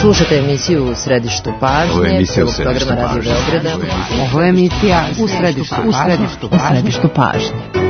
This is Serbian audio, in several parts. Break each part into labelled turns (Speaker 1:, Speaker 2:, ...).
Speaker 1: Slušajte emisiju U središtu pažnje, prvog programa Radio Beograda.
Speaker 2: Ovo je emisija U središtu pažnje.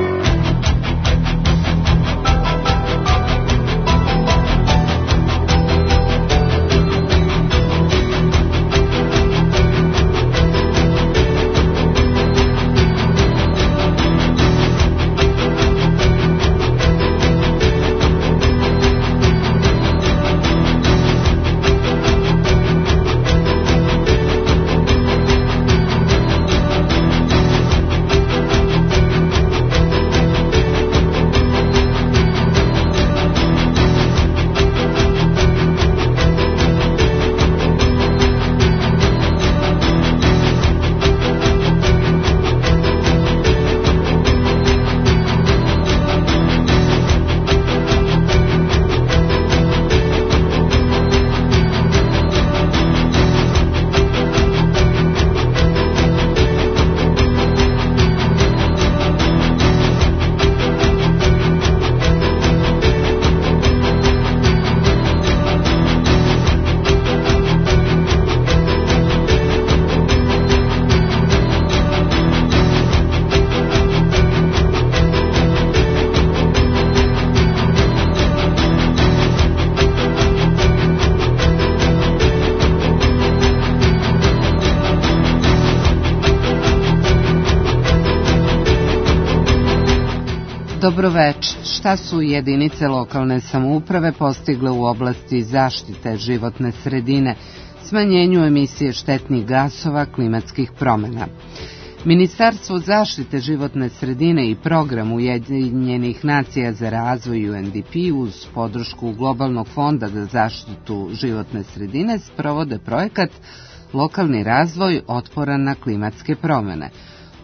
Speaker 2: Dobroveče. Šta su jedinice lokalne samouprave postigle u oblasti zaštite životne sredine, smanjenju emisije štetnih gasova, klimatskih promjena? Ministarstvo zaštite životne sredine i program Ujedinjenih nacija za razvoj UNDP uz podršku Globalnog fonda za zaštitu životne sredine sprovode projekat Lokalni razvoj otporan na klimatske promjene.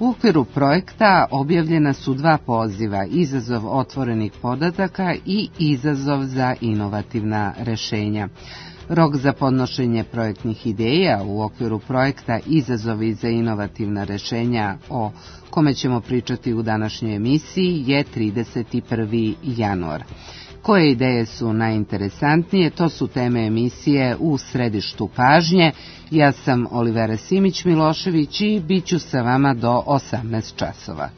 Speaker 2: U okviru projekta objavljena su 2 poziva, izazov otvorenih podataka i izazov za inovativna rešenja. Rok za podnošenje projektnih ideja u okviru projekta Izazovi za inovativna rešenja, o kome ćemo pričati u današnjoj emisiji, je 31. januar. Koje ideje su najinteresantnije? To su teme emisije U središtu pažnje. Ja sam Olivera Simić-Milošević i bit ću sa vama do 18 časova.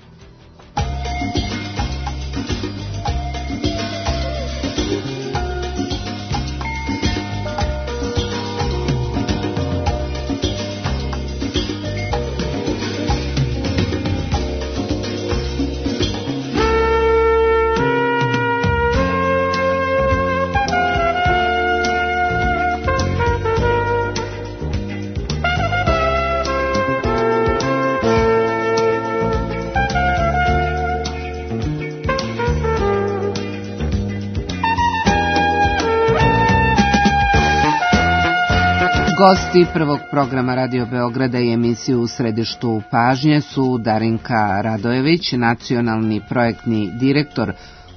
Speaker 2: Gosti prvog programa Radio Beograda i emisiju U središtu pažnje su Darinka Radojević, nacionalni projektni direktor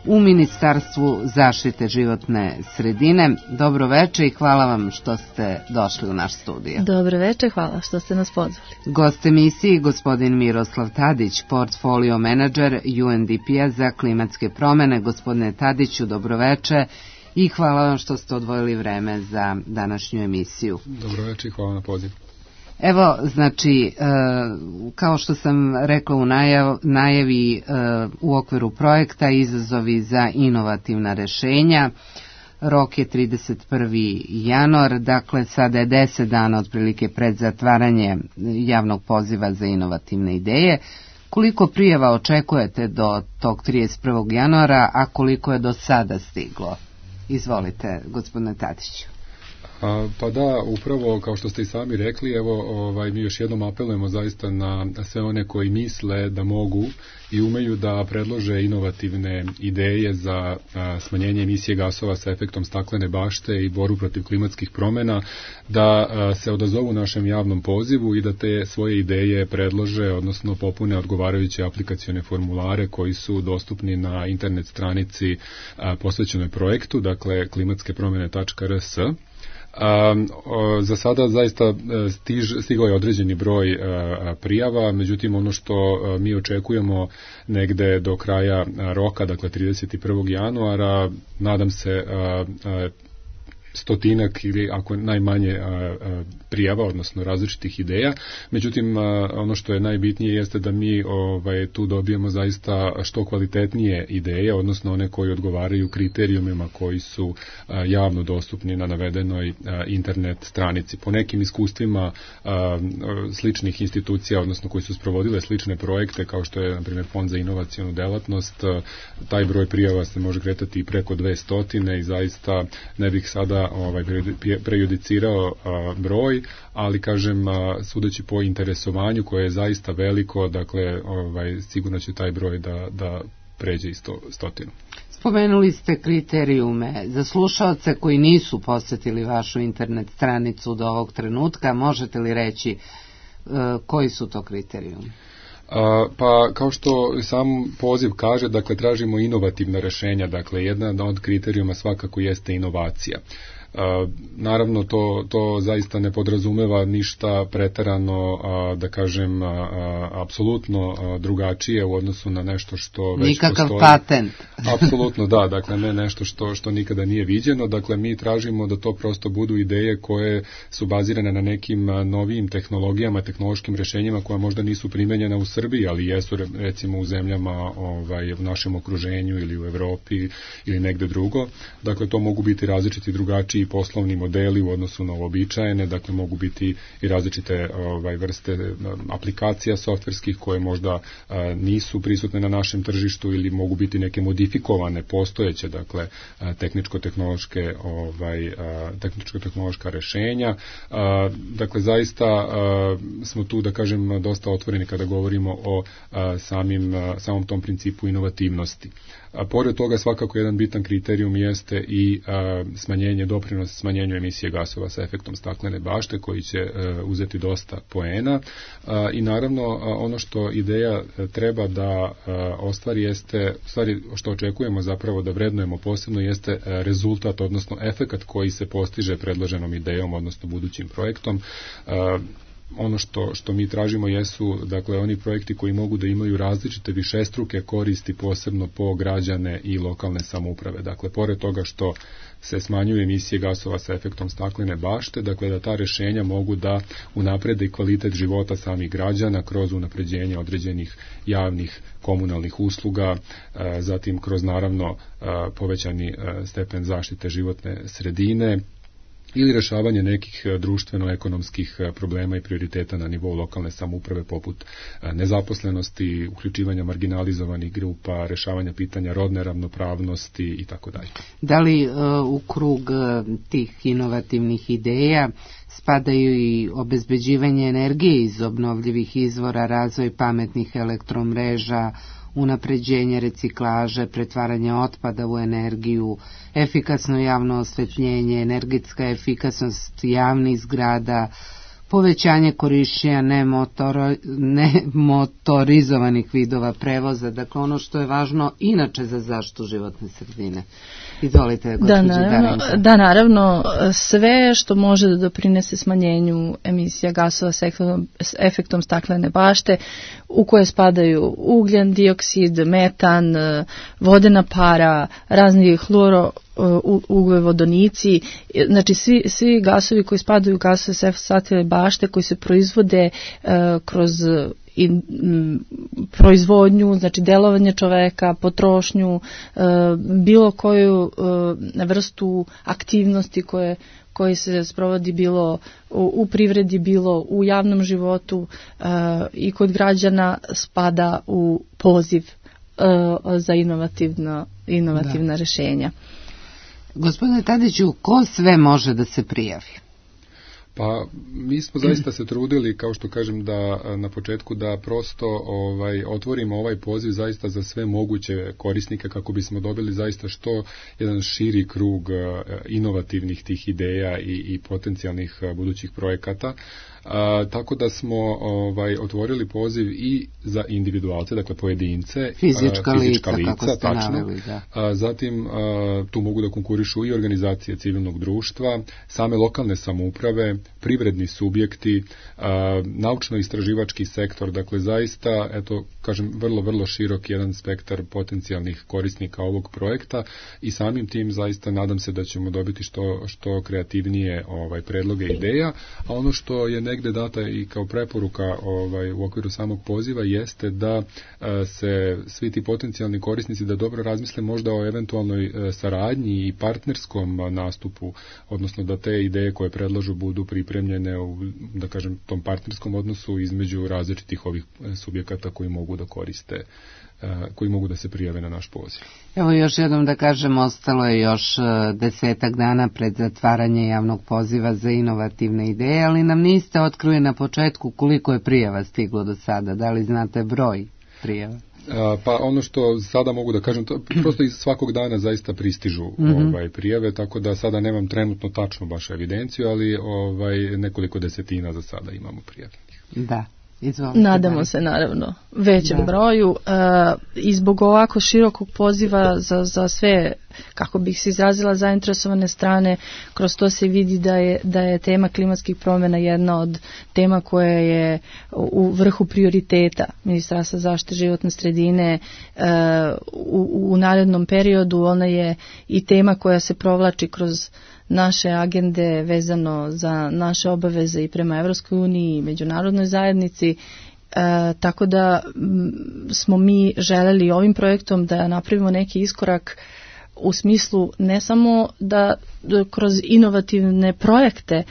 Speaker 2: u Ministarstvu zaštite životne sredine. Dobro veče i hvala vam što ste došli u naš studio.
Speaker 3: Dobro veče, hvala što ste nas pozvali.
Speaker 2: Gost emisiji gospodin Miroslav Tadić, portfolio menadžer UNDP-a za klimatske promjene. Gospodine Tadiću, dobro veče. I hvala vam što ste odvojili vreme za današnju emisiju.
Speaker 4: Dobro večer i hvala na poziv.
Speaker 2: Evo, znači, kao što sam rekla u najavi, u okviru projekta Izazovi za inovativna rešenja, rok je 31. januar, dakle sada je 10 dana otprilike pred zatvaranje javnog poziva za inovativne ideje. Koliko prijava očekujete do tog 31. januara, a koliko je do sada stiglo? Izvolite, gospodine Tadiću.
Speaker 4: Pa da, upravo kao što ste i sami rekli, evo mi još jednom apelujemo zaista na sve one koji misle da mogu i umeju da predlože inovativne ideje za smanjenje emisije gasova sa efektom staklene bašte i borbu protiv klimatskih promjena, da se odazovu našem javnom pozivu i da te svoje ideje predlože, odnosno popune odgovarajuće aplikacione formulare koji su dostupni na internet stranici posvećenoj projektu, dakle klimatskepromjene.rs. Za sada zaista stigao je određeni broj prijava, međutim ono što mi očekujemo negde do kraja roka, dakle 31. januara, nadam se stotinak ili ako najmanje prijava, odnosno različitih ideja. Međutim, ono što je najbitnije jeste da mi tu dobijemo zaista što kvalitetnije ideje, odnosno one koji odgovaraju kriterijumima koji su javno dostupni na navedenoj internet stranici. Po nekim iskustvima sličnih institucija, odnosno koji su sprovodile slične projekte, kao što je, na primjer, Fond za inovacionu delatnost, taj broj prijava se može kretati i preko 200 i zaista ne bih sada prejudicirao broj, ali kažem, sudeći po interesovanju koje je zaista veliko, dakle, sigurno će taj broj da pređe i 100.
Speaker 2: Spomenuli ste kriterijume. Za slušaoce koji nisu posjetili vašu internet stranicu do ovog trenutka, možete li reći koji su to kriterijumi?
Speaker 4: Pa kao što sam poziv kaže, dakle, tražimo inovativna rešenja, dakle, jedan od kriterijuma svakako jeste inovacija. Naravno, to zaista ne podrazumeva ništa preterano, da kažem, apsolutno drugačije u odnosu na nešto što već
Speaker 2: nikakav
Speaker 4: postoji.
Speaker 2: Patent.
Speaker 4: Apsolutno da, dakle, ne nešto što nikada nije viđeno, dakle, mi tražimo da to prosto budu ideje koje su bazirane na nekim novijim tehnologijama, tehnološkim rešenjima koja možda nisu primenjena u Srbiji, ali jesu recimo u zemljama u našem okruženju ili u Evropi ili negde drugo. Dakle, to mogu biti različiti drugačiji poslovni modeli u odnosu na uobičajene, dakle mogu biti i različite vrste aplikacija softverskih koje možda nisu prisutne na našem tržištu ili mogu biti neke modifikovane postojeće, dakle tehničko-tehnološka rešenja. Dakle, zaista smo tu, da kažem, dosta otvoreni kada govorimo o samom tom principu inovativnosti. Pored toga, svakako jedan bitan kriterijum jeste i doprinos smanjenju emisije gasova sa efektom staklene bašte, koji će uzeti dosta poena. I naravno, ono što ideja treba da ostvari jeste, stvari što očekujemo zapravo da vrednujemo posebno, jeste rezultat, odnosno efekat koji se postiže predloženom idejom, odnosno budućim projektom. Ono što mi tražimo jesu, dakle, oni projekti koji mogu da imaju različite višestruke koristi, posebno po građane i lokalne samouprave. Dakle, pored toga što se smanjuju emisije gasova sa efektom staklene bašte, dakle, da ta rešenja mogu da unaprede i kvalitet života samih građana kroz unapređenje određenih javnih komunalnih usluga, zatim kroz, naravno, povećani stepen zaštite životne sredine, ili rešavanje nekih društveno-ekonomskih problema i prioriteta na nivou lokalne samouprave, poput nezaposlenosti, uključivanja marginalizovanih grupa, rešavanja pitanja rodne ravnopravnosti i tako dalje.
Speaker 2: Da li u krug tih inovativnih ideja spadaju i obezbeđivanje energije iz obnovljivih izvora, razvoj pametnih elektromreža, unapređenje reciklaže, pretvaranje otpada u energiju, efikasno javno osvetljenje, energetska efikasnost javnih zgrada, povećanje korišćenja nemotorizovanih vidova prevoza, dakle ono što je važno inače za zaštitu životne sredine. Izvolite, gospođo Darinka.
Speaker 3: Da, naravno, sve što može da doprinese smanjenju emisija gasova s efektom staklene bašte, u koje spadaju ugljen dioksid, metan, vodena para, razni ugljenovodonici, znači svi gasovi koji spadaju u gasove s efektom staklene bašte, koji se proizvode kroz proizvodnju, znači delovanje čoveka, potrošnju, bilo koju vrstu aktivnosti koji se sprovodi bilo u privredi, bilo u javnom životu i kod građana, spada u poziv za inovativna rešenja.
Speaker 2: Gospodine Tadiću, ko sve može da se prijavi?
Speaker 4: Pa mi smo zaista se trudili, kao što kažem, da na početku da prosto otvorimo ovaj poziv zaista za sve moguće korisnike, kako bismo dobili zaista što jedan širi krug inovativnih tih ideja i potencijalnih budućih projekata. Tako da smo otvorili poziv i za individualce, dakle pojedince,
Speaker 2: fizička lica,
Speaker 4: tačno. Zatim tu mogu da konkurišu i organizacije civilnog društva, same lokalne samouprave, privredni subjekti, naučno-istraživački sektor, dakle zaista, eto, kažem, vrlo, vrlo širok jedan spektar potencijalnih korisnika ovog projekta i samim tim zaista nadam se da ćemo dobiti što kreativnije predloge ideja, a ono što je negde data i kao preporuka u okviru samog poziva jeste da se svi ti potencijalni korisnici da dobro razmisle možda o eventualnoj saradnji i partnerskom nastupu, odnosno da te ideje koje predlažu budu pripremljene u, da kažem, tom partnerskom odnosu između različitih ovih subjekata koji mogu da koriste, koji mogu da se prijave na naš poziv.
Speaker 2: Evo još jednom da kažem, ostalo je još 10 dana pred zatvaranje javnog poziva za inovativne ideje, ali nam niste otkrili na početku koliko je prijava stiglo do sada, da li znate broj prijava?
Speaker 4: Pa ono što sada mogu da kažem, to prosto iz svakog dana zaista pristižu prijave, tako da sada nemam trenutno tačnu baš evidenciju, ali nekoliko desetina za sada imamo prijavljenih.
Speaker 2: Da. Izvolite,
Speaker 3: nadamo se naravno većem broju i zbog ovako širokog poziva za sve, kako bih se izrazila, zainteresovane strane. Kroz to se vidi da je tema klimatskih promjena jedna od tema koja je u vrhu prioriteta Ministarstva zaštite životne sredine u narednom periodu. Ona je i tema koja se provlači kroz naše agende vezano za naše obaveze i prema Evropskoj uniji i međunarodnoj zajednici, tako da smo mi želeli ovim projektom da napravimo neki iskorak u smislu ne samo da kroz inovativne projekte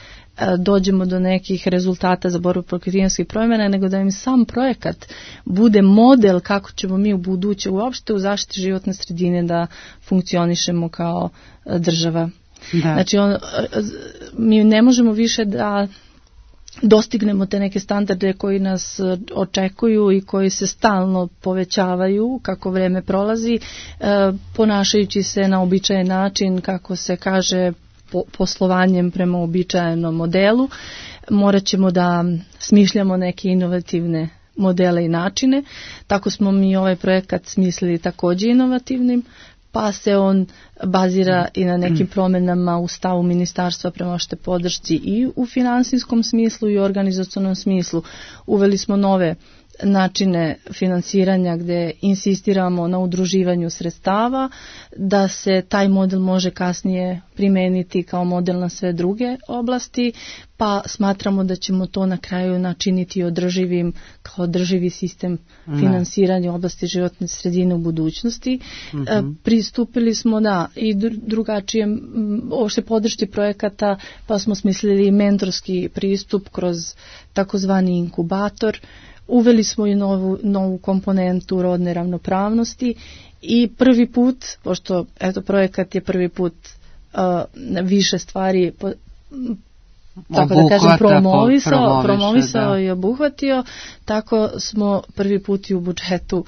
Speaker 3: dođemo do nekih rezultata za borbu protiv klimatskih promjena, nego da im sam projekat bude model kako ćemo mi u buduće uopšte u zaštiti životne sredine da funkcionišemo kao država. Da. Znači, mi ne možemo više da dostignemo te neke standarde koji nas očekuju i koji se stalno povećavaju kako vreme prolazi, ponašajući se na uobičajen način, kako se kaže, poslovanjem prema uobičajenom modelu. Morat ćemo da smišljamo neke inovativne modele i načine. Tako smo mi ovaj projekat smislili također inovativnim, pa se on bazira i na nekim promjenama u stavu ministarstva prema što podršci i u finansijskom smislu i u organizacionom smislu. Uveli smo nove načine finansiranja gdje insistiramo na udruživanju sredstava, da se taj model može kasnije primijeniti kao model na sve druge oblasti, pa smatramo da ćemo to na kraju načiniti održivim kao održivi sistem finansiranja u oblasti životne sredine u budućnosti. Pristupili smo i drugačijem uopšte podršci projekata, pa smo smislili mentorski pristup kroz takozvani inkubator. Uveli smo i novu komponentu rodne ravnopravnosti i prvi put, pošto projekat je prvi put više stvari tako da kažem promovisao i obuhvatio, tako smo prvi put i u budžetu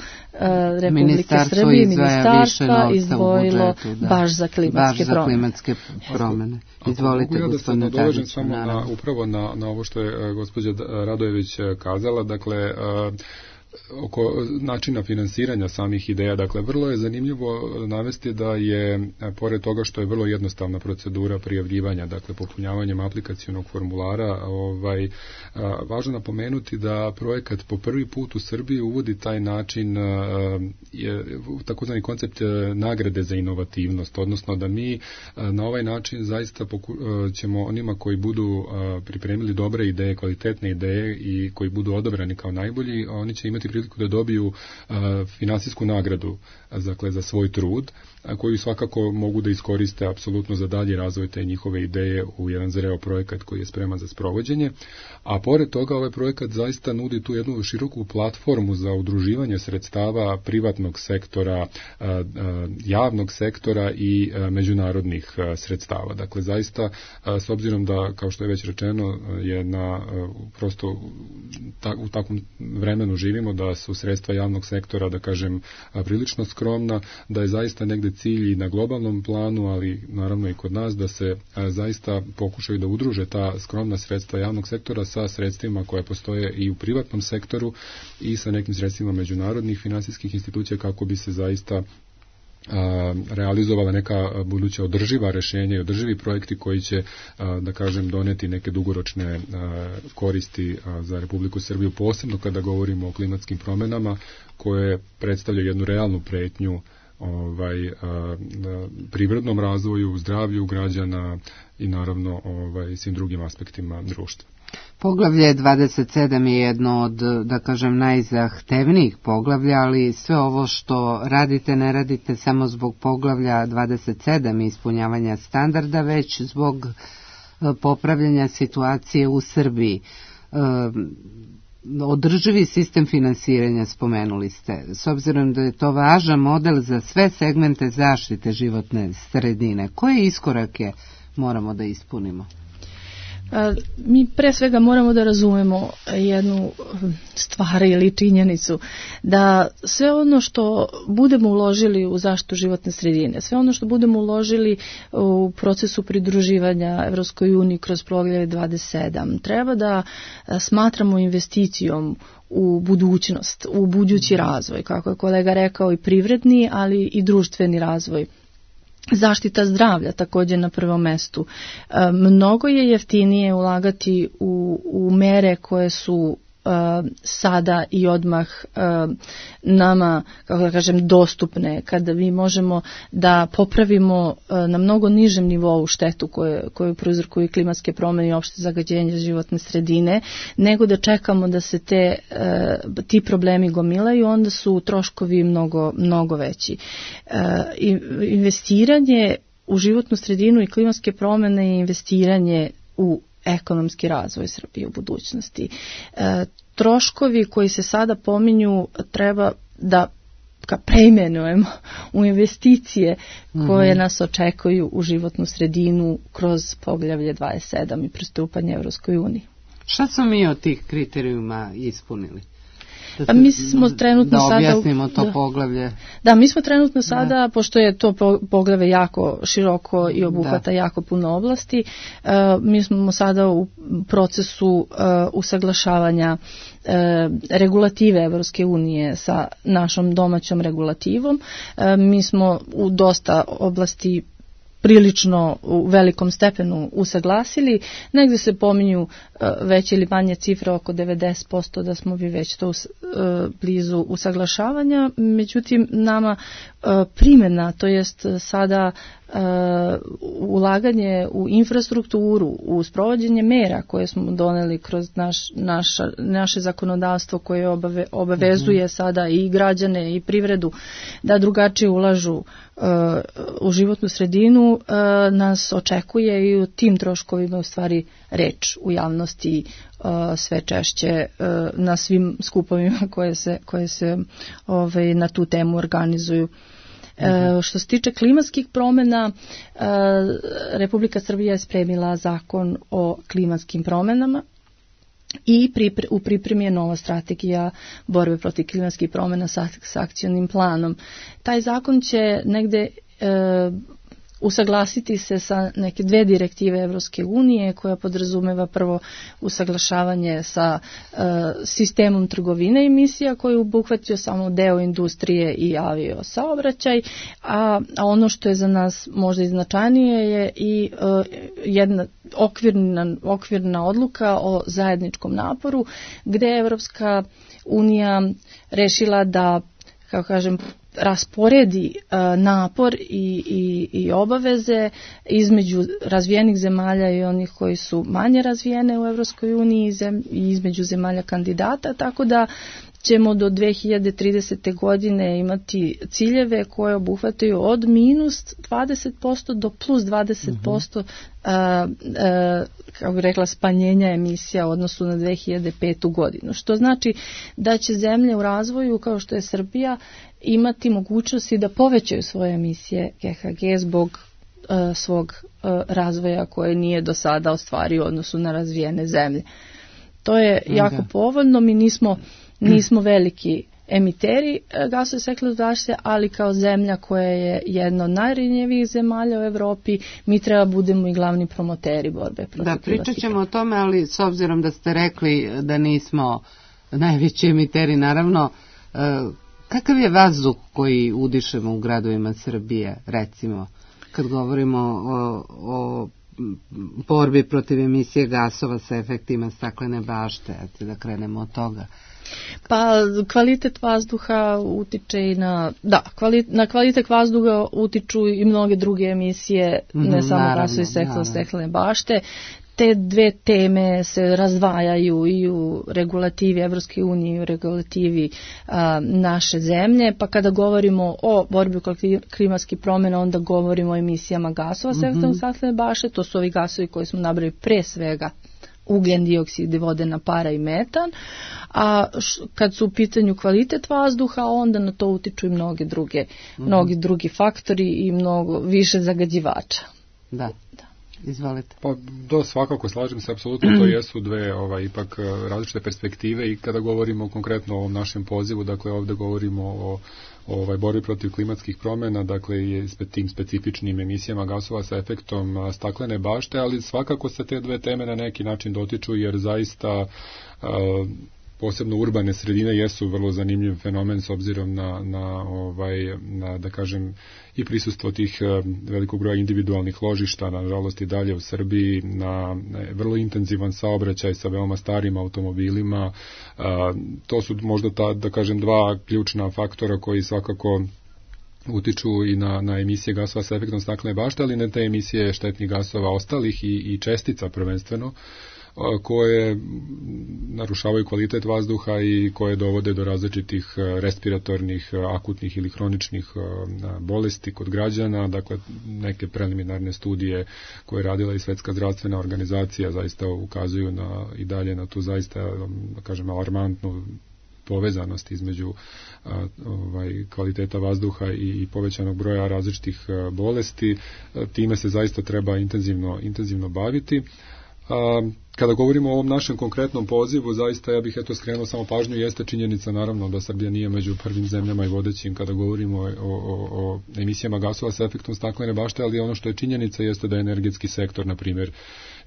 Speaker 3: Republike Srbije ministarstva izdvojilo baš za klimatske promjene.
Speaker 2: Izvolite, gospodine Tadić.
Speaker 4: Dođem samo upravo na ovo što je gospođa Radojević kazala, dakle oko načina finansiranja samih ideja. Dakle, vrlo je zanimljivo navesti da je, pored toga što je vrlo jednostavna procedura prijavljivanja, dakle popunjavanjem aplikacionog formulara, važno napomenuti da projekat po prvi put u Srbiji uvodi taj način, takozvani koncept nagrade za inovativnost, odnosno da mi na ovaj način zaista ćemo onima koji budu pripremili dobre ideje, kvalitetne ideje i koji budu odabrani kao najbolji, oni će imati priliku da dobiju finansijsku nagradu za svoj trud, koju svakako mogu da iskoriste apsolutno za dalji razvoj te njihove ideje u jedan zreo projekat koji je spreman za sprovođenje. A pored toga ovaj projekat zaista nudi tu jednu široku platformu za udruživanje sredstava privatnog sektora, javnog sektora i međunarodnih sredstava. Dakle, zaista, s obzirom da, kao što je već rečeno, je prosto u takvom vremenu živimo, da su sredstva javnog sektora, da kažem, prilično skromna, da je zaista negde cilj i na globalnom planu, ali naravno i kod nas, da se zaista pokušaju da udruže ta skromna sredstva javnog sektora sa sredstvima koje postoje i u privatnom sektoru i sa nekim sredstvima međunarodnih finansijskih institucija, kako bi se zaista realizovala neka buduća održiva rješenja i održivi projekti koji će, da kažem, doneti neke dugoročne koristi za Republiku Srbiju, posebno kada govorimo o klimatskim promjenama koje predstavljaju jednu realnu pretnju privrednom razvoju, zdravlju građana i naravno svim drugim aspektima društva.
Speaker 2: Poglavlje 27 je jedno od, da kažem, najzahtevnijih poglavlja, ali sve ovo što radite ne radite samo zbog poglavlja 27 i ispunjavanja standarda, već zbog popravljanja situacije u Srbiji. Održivi sistem finansiranja spomenuli ste. S obzirom da je to važan model za sve segmente zaštite životne sredine, koje iskorake moramo da ispunimo?
Speaker 3: Mi pre svega moramo da razumemo jednu stvar ili činjenicu, da sve ono što budemo uložili u zaštitu životne sredine, sve ono što budemo uložili u procesu pridruživanja Evropskoj uniji kroz poglavlje 27, treba da smatramo investicijom u budućnost, u budući razvoj, kako je kolega rekao, i privredni, ali i društveni razvoj. Zaštita zdravlja također na prvom mestu. Mnogo je jeftinije ulagati u mere koje su sada i odmah nama, kako da kažem, dostupne, kada mi možemo da popravimo na mnogo nižem nivou štetu koju prouzrokuju klimatske promjene i opšte zagađenje životne sredine, nego da čekamo da se ti problemi gomilaju, onda su troškovi mnogo veći. Investiranje u životnu sredinu i klimatske promjene je investiranje u ekonomski razvoj Srbije u budućnosti. Troškovi koji se sada pominju treba da preimenujemo u investicije koje nas očekuju u životnu sredinu kroz poglavlje 27 i pristupanje Evropskoj uniji.
Speaker 2: Šta smo mi od tih kriterijuma ispunili?
Speaker 3: Pa mi smo trenutno sada...
Speaker 2: Da objasnimo to poglavlje.
Speaker 3: Da, mi smo trenutno sada, pošto je to poglavlje jako široko i obuhvata jako puno oblasti, mi smo sada u procesu usaglašavanja regulative Evropske unije sa našom domaćom regulativom. Mi smo u dosta oblasti prilično u velikom stepenu usaglasili. Negdje se pominju veće ili manje cifre, oko 90% da smo vi već to blizu usaglašavanja. Međutim, nama primjena, to jest sada ulaganje u infrastrukturu, u sprovođenje mera koje smo doneli kroz naše zakonodavstvo koje obavezuje sada i građane i privredu da drugačije ulažu u životnu sredinu, nas očekuje i u tim troškovima u stvari reč u javnosti sve češće na svim skupovima koje se na tu temu organizuju. Što se tiče klimatskih promjena, Republika Srbija je spremila zakon o klimatskim promjenama i u pripremi je nova strategija borbe protiv klimatskih promjena sa akcionim planom. Taj zakon će negde usaglasiti se sa neke dve direktive Evropske unije koja podrazumeva prvo usaglašavanje sa sistemom trgovine emisija koji obuhvatio samo deo industrije i avio saobraćaj, a ono što je za nas možda i značajnije je i jedna okvirna odluka o zajedničkom naporu gde je Evropska unija rešila da, kako kažem, rasporedi napor i obaveze između razvijenih zemalja i onih koji su manje razvijene u Evropskoj uniji i između zemalja kandidata, tako da ćemo do 2030. godine imati ciljeve koje obuhvataju od minus 20% do plus 20% kako bih rekla, smanjenja emisija u odnosu na 2005. godinu. Što znači da će zemlje u razvoju kao što je Srbija imati mogućnosti da povećaju svoje emisije GHG zbog svog razvoja koje nije do sada ostvario u odnosu na razvijene zemlje. To je jako povoljno, mi nismo veliki emiteri gasova staklene bašte, ali kao zemlja koja je jedna od najranjivijih zemalja u Evropi, mi treba budemo i glavni promoteri borbe protiv.
Speaker 2: Da, pričat ćemo o tome, ali s obzirom da ste rekli da nismo najveći emiteri, naravno, Kakav je vazduh koji udišemo u gradovima Srbije, recimo, kad govorimo o borbi protiv emisije gasova sa efektima staklene bašte, da krenemo od toga?
Speaker 3: Pa kvalitet vazduha utiče i na kvalitet vazduha utiču i mnoge druge emisije, ne samo gasovi staklene bašte. Te dve teme se razdvajaju i u regulativi Evropske unije i u regulativi naše zemlje, pa kada govorimo o borbi protiv klimatskih promjena, onda govorimo o emisijama gasova sa efektom staklene bašte. To su ovi gasovi koji smo nabrali, pre svega ugljen dioksid, vodena para i metan, a kad su u pitanju kvalitet vazduha, onda na to utiču i mnogi drugi faktori i mnogo više zagađivača.
Speaker 2: Da. Izvolite.
Speaker 4: Pa svakako slažem se, apsolutno to jesu dve ipak različite perspektive i kada govorimo konkretno o ovom našem pozivu, dakle ovdje govorimo o borbi protiv klimatskih promjena, dakle i tim specifičnim emisijama gasova sa efektom staklene bašte, ali svakako se te dve teme na neki način dotiču jer zaista posebno urbane sredine jesu vrlo zanimljiv fenomen s obzirom na da kažem i prisustvo tih velikog broja individualnih ložišta, nažalost i dalje u Srbiji, na vrlo intenzivan saobraćaj sa veoma starim automobilima. To su možda da kažem dva ključna faktora koji svakako utiču i na emisije gasova sa efektom staklene bašte, ali ne te emisije štetnih gasova ostalih i čestica prvenstveno, koje narušavaju kvalitet vazduha i koje dovode do različitih respiratornih, akutnih ili hroničnih bolesti kod građana. Dakle, neke preliminarne studije koje je radila i Svetska zdravstvena organizacija zaista ukazuju i dalje na tu zaista, da kažem, alarmantnu povezanost između kvaliteta vazduha i povećanog broja različitih bolesti. Time se zaista treba intenzivno baviti. Kada govorimo o ovom našem konkretnom pozivu, zaista ja bih skrenuo samo pažnju, jeste činjenica naravno da Srbija nije među prvim zemljama i vodećim kada govorimo o emisijama gasova sa efektom staklene bašte, ali ono što je činjenica jeste da je energetski sektor, na primjer,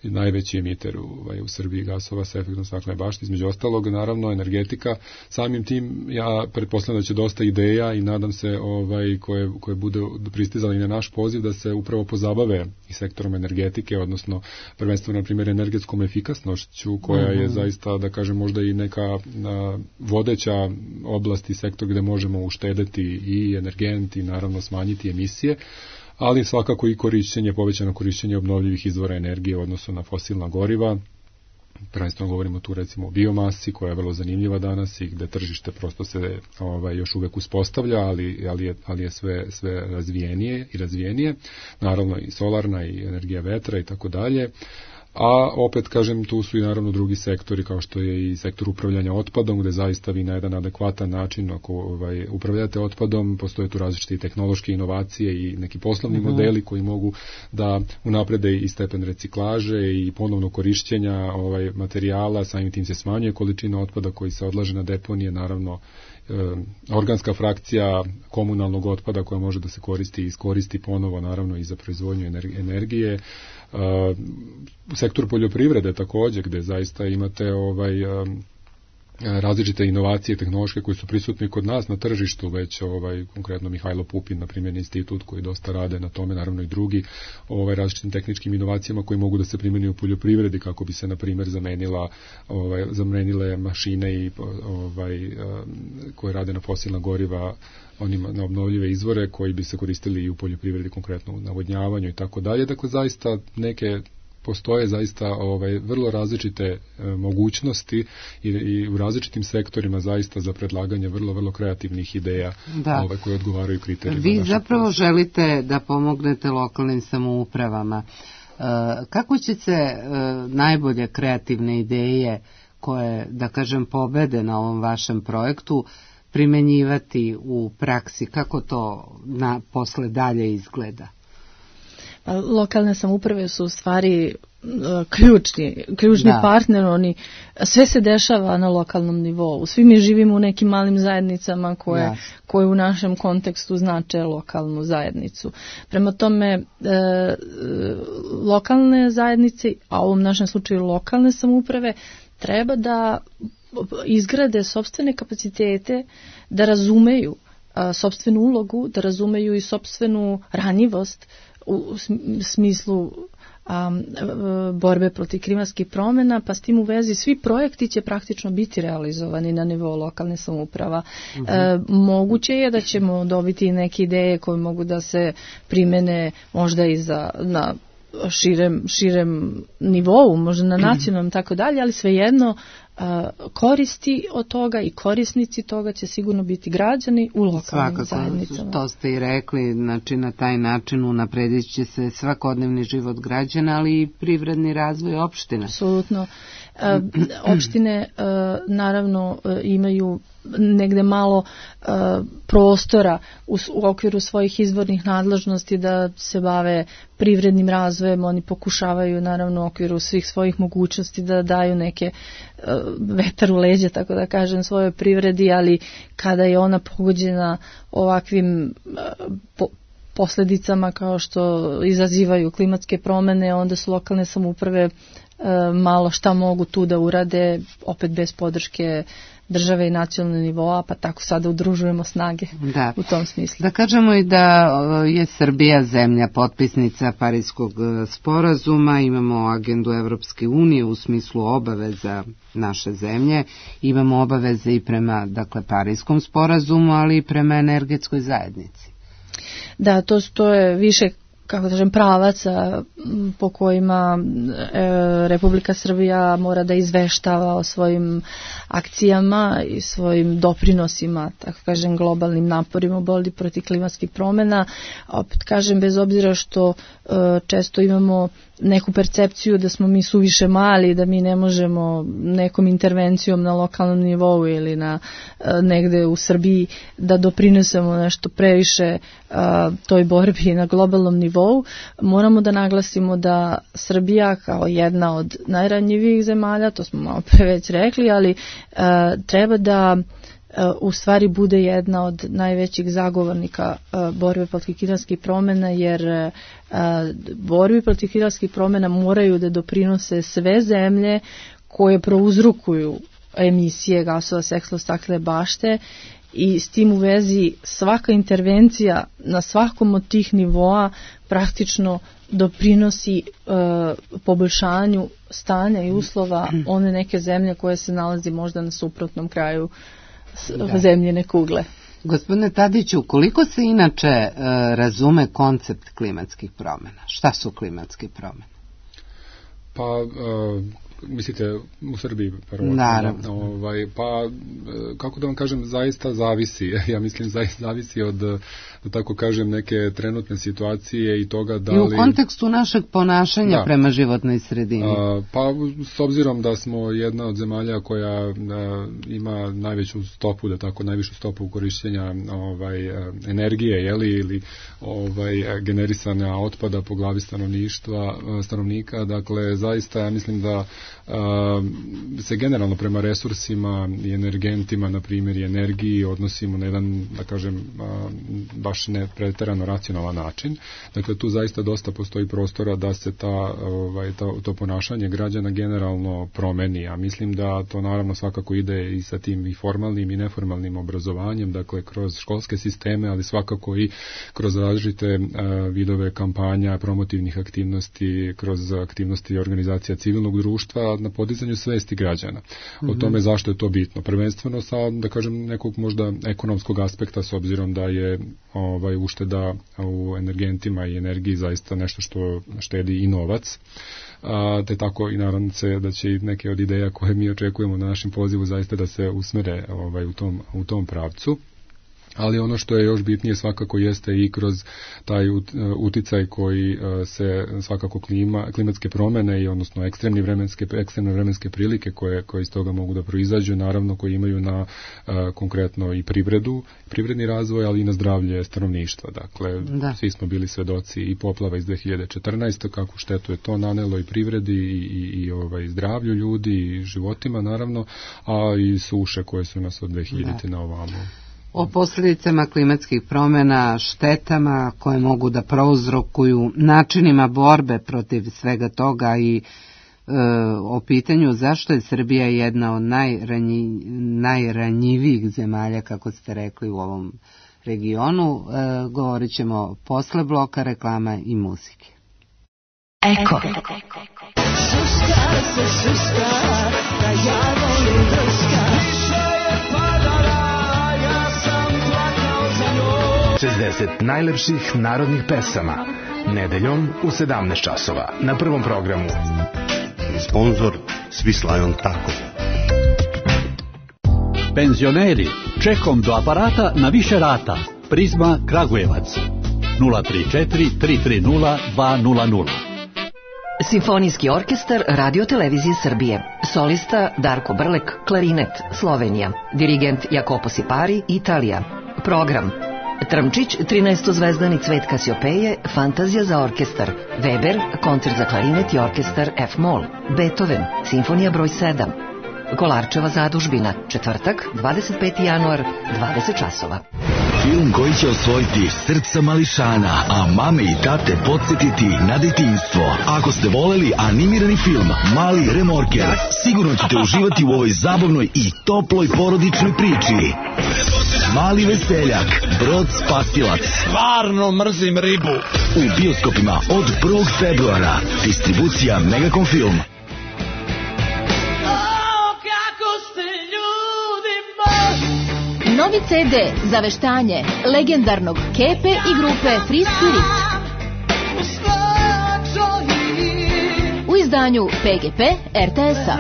Speaker 4: najveći emiter u Srbiji gasova sa efektom staklene bašte, između ostalog, naravno, energetika. Samim tim ja pretpostavljam da će dosta ideja i nadam se koje bude pristizali na naš poziv da se upravo pozabave i sektorom energetike, odnosno prvenstveno, na primjer, energetskom efikasnošću koja je zaista, da kažem, možda i neka vodeća oblast i sektor gde možemo uštedeti i energent i naravno smanjiti emisije, ali svakako i povećano korišćenje obnovljivih izvora energije u odnosu na fosilna goriva. Prvenstveno govorimo tu recimo o biomasi koja je vrlo zanimljiva danas i gde tržište prosto se još uvek uspostavlja, ali je sve razvijenije. Naravno i solarna i energija vetra i tako dalje. A opet, kažem, tu su i naravno drugi sektori kao što je i sektor upravljanja otpadom, gde zaista vi na jedan adekvatan način ako upravljate otpadom, postoje tu različite tehnološke inovacije i neki poslovni modeli koji mogu da unaprede i stepen reciklaže i ponovno korišćenja materijala, samim tim se smanjuje količina otpada koji se odlaže na deponije, naravno organska frakcija komunalnog otpada koja može da se koristi i iskoristi ponovo, naravno i za proizvodnju energije. U sektoru poljoprivrede također, gde zaista imate različite inovacije tehnološke koje su prisutne kod nas na tržištu, već konkretno Mihajlo Pupin, na primjer, institut koji dosta rade na tome, naravno i drugi različitim tehničkim inovacijama koji mogu da se primjeni u poljoprivredi kako bi se, na primjer, zamenile mašine i koje rade na fosilna goriva na obnovljive izvore koji bi se koristili i u poljoprivredi, konkretno u navodnjavanju i tako dalje. Dakle, zaista postoje zaista vrlo različite mogućnosti i u različitim sektorima zaista za predlaganje vrlo kreativnih ideja koje odgovaraju kriterijima.
Speaker 2: Vi zapravo želite da pomognete lokalnim samoupravama. Kako će se najbolje kreativne ideje koje, da kažem, pobede na ovom vašem projektu primenjivati u praksi? Kako to posle dalje izgleda?
Speaker 3: Lokalne samouprave su u stvari ključni partner, sve se dešava na lokalnom nivou. Svi mi živimo u nekim malim zajednicama koje u našem kontekstu znače lokalnu zajednicu. Prema tome, lokalne zajednice, a u ovom našem slučaju lokalne samouprave, treba da izgrade sopstvene kapacitete, da razumeju sopstvenu ulogu, da razumeju i sopstvenu ranjivost u smislu borbe protiv klimatskih promjena, pa s tim u vezi svi projekti će praktično biti realizovani na nivou lokalne samouprava. Moguće je da ćemo dobiti neke ideje koje mogu da se primene možda i na širem nivou, možda na nacionalnom tako dalje, ali svejedno koristi od toga i korisnici toga će sigurno biti građani u lokalnim zajednicama.
Speaker 2: To ste i rekli, znači na taj način unapredit će se svakodnevni život građana, ali i privredni razvoj opština.
Speaker 3: Apsolutno. Opštine naravno imaju negde malo prostora u okviru svojih izvornih nadležnosti da se bave privrednim razvojem. Oni pokušavaju naravno u okviru svih svojih mogućnosti da daju neke vetar u leđa, tako da kažem, svojoj privredi, ali kada je ona pogođena ovakvim posljedicama kao što izazivaju klimatske promjene, onda su lokalne samouprave malo šta mogu tu da urade, opet bez podrške države i nacionalnog nivoa, pa tako sada udružujemo snage u tom smislu.
Speaker 2: Da kažemo i da je Srbija zemlja potpisnica Pariskog sporazuma, imamo agendu Evropske unije u smislu obaveza naše zemlje, imamo obaveze i prema Pariskom sporazumu, ali i prema energetskoj zajednici.
Speaker 3: Da, to je više pravaca po kojima Republika Srbija mora da izveštava o svojim akcijama i svojim doprinosima, tako kažem, globalnim naporima u borbi protiv klimatskih promjena. Opet kažem, bez obzira što često imamo neku percepciju da smo mi suviše mali, da mi ne možemo nekom intervencijom na lokalnom nivou ili negde u Srbiji da doprinesemo nešto previše toj borbi na globalnom nivou. Moramo da naglasimo da Srbija kao jedna od najranjivijih zemalja, to smo malo pre već rekli, ali treba da u stvari bude jedna od najvećih zagovornika borbe protiv klimatskih promjena, jer borbi protiv klimatskih promjena moraju da doprinose sve zemlje koje prouzrokuju emisije gasova s efektom staklene bašte, i s tim u vezi svaka intervencija na svakom od tih nivoa praktično doprinosi poboljšanju stanja i uslova one neke zemlje koje se nalazi možda na suprotnom kraju zemljine kugle.
Speaker 2: Gospodine Tadiću, koliko se inače razume koncept klimatskih promjena? Šta su klimatske promjene?
Speaker 4: Pa, mislite u Srbiji?
Speaker 2: Naravno.
Speaker 4: Pa, kako da vam kažem, zaista zavisi. Ja mislim, zaista zavisi od, da tako kažem, neke trenutne situacije i toga da li...
Speaker 2: I u kontekstu našeg ponašanja prema životnoj sredini.
Speaker 4: Pa, s obzirom da smo jedna od zemalja koja ima najveću stopu, da tako, najvišu stopu korištenja energije, ili generisanja otpada po glavi stanovnika, dakle, zaista ja mislim da se generalno prema resursima i energentima, na primjer i energiji, odnosimo na jedan, da kažem, baš ne preterano racionalan način. Dakle, tu zaista dosta postoji prostora da se to ponašanje građana generalno promeni, a mislim da to naravno svakako ide i sa tim i formalnim i neformalnim obrazovanjem, dakle kroz školske sisteme, ali svakako i kroz različite vidove kampanja, promotivnih aktivnosti, kroz aktivnosti organizacija civilnog društva na podizanju svesti građana o tome zašto je to bitno. Prvenstveno sa, da kažem, nekog možda ekonomskog aspekta, s obzirom da je ušteda u energentima i energiji zaista nešto što štedi i novac. Te tako i naravno se da će i neke od ideja koje mi očekujemo na našem pozivu zaista da se usmere u tom pravcu. Ali ono što je još bitnije svakako jeste i kroz taj uticaj koji se svakako klimatske promjene i odnosno ekstremne vremenske prilike koje iz toga mogu da proizađu, naravno koji imaju na konkretno i privredni razvoj, ali i na zdravlje stanovništva. Dakle, svi smo bili svedoci i poplava iz 2014. kako štetu je to nanelo i privredi i zdravlju ljudi i životima naravno, a i suše koje su nas od 2000. na ovamo.
Speaker 2: O posljedicama klimatskih promjena, štetama koje mogu da prouzrokuju, načinima borbe protiv svega toga i o pitanju zašto je Srbija jedna od najranjivijih zemalja, kako ste rekli, u ovom regionu. Govorit ćemo posle bloka reklama i muzike.
Speaker 5: Eko. Šuška se šuška, da ja volim drška. Više je padala, ja sam plakao za njom.
Speaker 6: 60 najlepših narodnih pesama. Nedeljom u 17 časova na Prvom programu.
Speaker 7: Sponzor Svislajon Tako.
Speaker 8: Penzioneri, čekom do aparata na više rata. Prizma Kragujevac 034 330 200.
Speaker 5: Simfonijski orkestar Radio Televizije Srbije. Solista Darko Brlek, klarinet, Slovenija. Dirigent Jacopo Sipari, Italija. Program: Trmčić, 13-zvezdani Cvet Kasiopeje, Fantazija za orkestar. Weber, koncert za klarinet i orkestar F-moll. Beethoven, Simfonija broj 7. Kolarčeva zadužbina, četvrtak, 25. januar, 20 časova.
Speaker 9: Film koji će osvojiti srca mališana, a mame i tate podsjetiti na detinjstvo. Ako ste voleli animirani film Mali remorker, sigurno ćete uživati u ovoj zabavnoj i toploj porodičnoj priči. Mali veseljak, Brod spasilac.
Speaker 10: Stvarno mrzim ribu.
Speaker 9: U bioskopima od 1. februara. Distribucija Megacom Film.
Speaker 11: Novi CD za veštanje legendarnog Kepe i grupe Free Spirit. U izdanju PGP RTS-a.